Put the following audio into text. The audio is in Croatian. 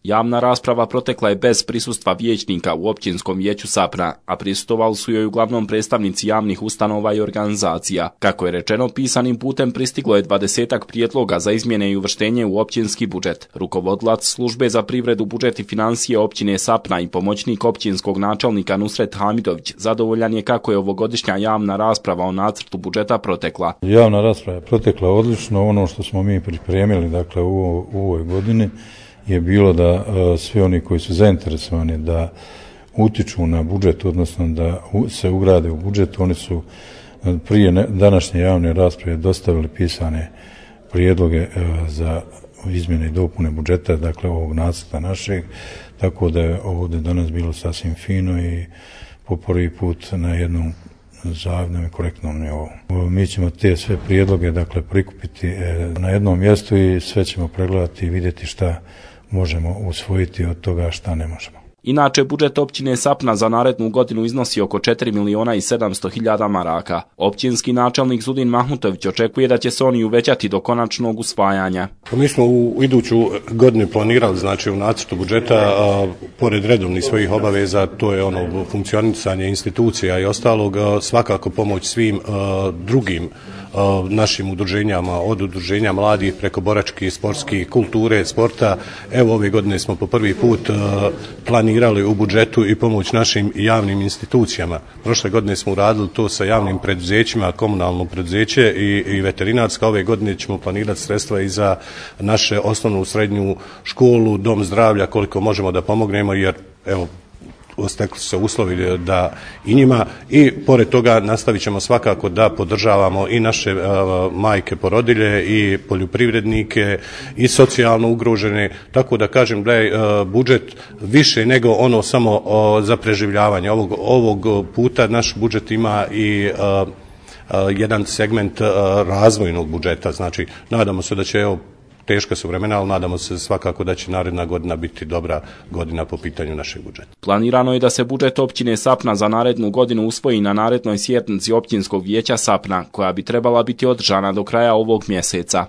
Javna rasprava protekla je bez prisustva vijećnika u općinskom vijeću Sapna, a prisustvovali su joj uglavnom predstavnici javnih ustanova i organizacija. Kako je rečeno, pisanim putem pristiglo je 20-ak prijedloga za izmjene i uvrštenje u općinski budžet. Rukovodilac službe za privredu, budžet i financije općine Sapna i pomoćnik općinskog načelnika Nusret Hamidović zadovoljan je kako je ovogodišnja javna rasprava o nacrtu budžeta protekla. Javna rasprava je protekla odlično. Ono što smo mi pripremili u ovoj godini je bilo da svi oni koji su zainteresovani da utiču na budžet, odnosno da se ugrade u budžet, oni su prije današnje javne rasprave dostavili pisane prijedloge za izmjene i dopune budžeta, dakle ovog nacrta našeg, tako da je ovdje danas bilo sasvim fino i po prvi put na jednom zavidnom i korektnom nivou. Mi ćemo te sve prijedloge prikupiti na jednom mjestu i sve ćemo pregledati i vidjeti šta možemo usvojiti od toga, šta ne možemo. Inače, budžet općine Sapna za narednu godinu iznosi oko 4.700.000 maraka. Općinski načelnik Zudin Mahmutović očekuje da će se oni uvećati do konačnog usvajanja. Mi smo u iduću godinu planirali, u nacrtu budžeta, pored redovnih svojih obaveza, to je funkcionisanje institucija i ostalog, svakako pomoć svim drugim našim udruženjama, od udruženja mladih preko boračkih, sportskih, kulture, sporta. Evo ove godine smo po prvi put planirali u budžetu i pomoć našim javnim institucijama. Prošle godine smo uradili to sa javnim preduzećima, komunalno preduzeće i veterinarska. Ove godine ćemo planirati sredstva i za naše osnovnu srednju školu, dom zdravlja, koliko možemo da pomognemo, jer stekli su se uslovi da i njima, i pored toga nastavit ćemo svakako da podržavamo i naše majke porodilje i poljoprivrednike i socijalno ugrožene, tako da kažem da je budžet više nego samo za preživljavanje. Ovog puta naš budžet ima i jedan segment razvojnog budžeta, nadamo se da će, teška su vremena, ali nadamo se svakako da će naredna godina biti dobra godina po pitanju našeg budžeta. Planirano je da se budžet općine Sapna za narednu godinu usvoji na narednoj sjednici općinskog vijeća Sapna, koja bi trebala biti održana do kraja ovog mjeseca.